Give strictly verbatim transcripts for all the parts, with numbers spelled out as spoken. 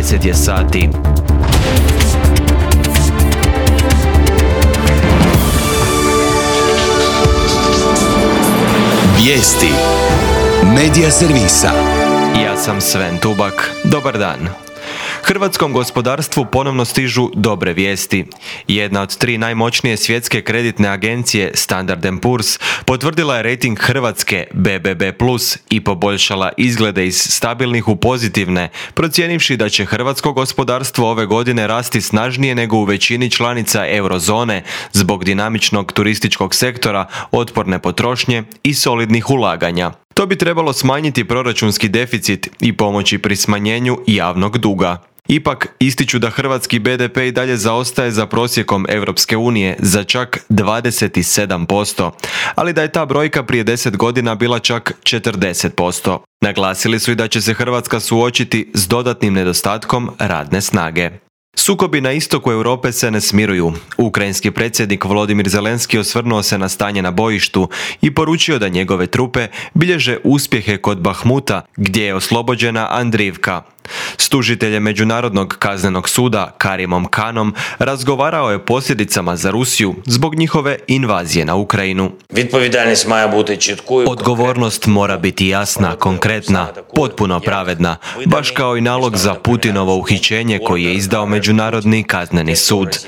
deset je sati. Vijesti Medija servisa. Ja sam Sven Tubak. Dobar dan. Hrvatskom gospodarstvu ponovno stižu dobre vijesti. Jedna od tri najmoćnije svjetske kreditne agencije, Standard and Poor's, potvrdila je rejting Hrvatske B B B plus i poboljšala izglede iz stabilnih u pozitivne, procijenivši da će hrvatsko gospodarstvo ove godine rasti snažnije nego u većini članica eurozone zbog dinamičnog turističkog sektora, otporne potrošnje i solidnih ulaganja. To bi trebalo smanjiti proračunski deficit i pomoći pri smanjenju javnog duga. Ipak, ističu da hrvatski B D P i dalje zaostaje za prosjekom Europske unije za čak dvadeset sedam posto, ali da je ta brojka prije deset godina bila čak četrdeset posto. Naglasili su i da će se Hrvatska suočiti s dodatnim nedostatkom radne snage. Sukobi na istoku Europe se ne smiruju. Ukrajinski predsjednik Volodimir Zelenski osvrnuo se na stanje na bojištu i poručio da njegove trupe bilježe uspjehe kod Bahmuta, gdje je oslobođena Andriivka. S tužiteljem Međunarodnog kaznenog suda Karimom Khanom razgovarao je o posljedicama za Rusiju zbog njihove invazije na Ukrajinu. Odgovornost mora biti jasna, konkretna, potpuno pravedna, baš kao i nalog za Putinovo uhićenje koji je izdao Međunarodni kazneni sud.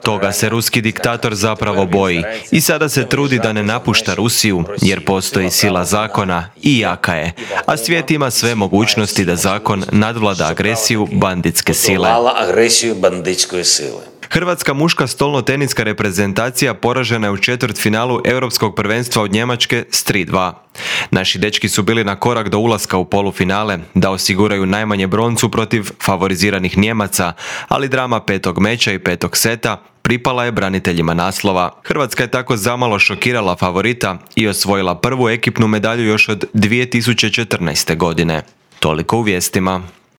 Toga se ruski diktator zapravo boji i sada se trudi da ne napušta Rusiju jer postoji sila zakona i jaka je, a svijet ima sve mogućnosti da zakon nadvlada agresiju banditske sile. Hrvatska muška stolno-teniska reprezentacija poražena je u četvrtfinalu Europskog prvenstva od Njemačke s tri dva. Naši dečki su bili na korak do ulaska u polufinale, da osiguraju najmanje broncu protiv favoriziranih Njemaca, ali drama petog meča i petog seta pripala je braniteljima naslova. Hrvatska je tako zamalo šokirala favorita i osvojila prvu ekipnu medalju još od dvije tisuće četrnaeste. godine. Toliko u vijestima.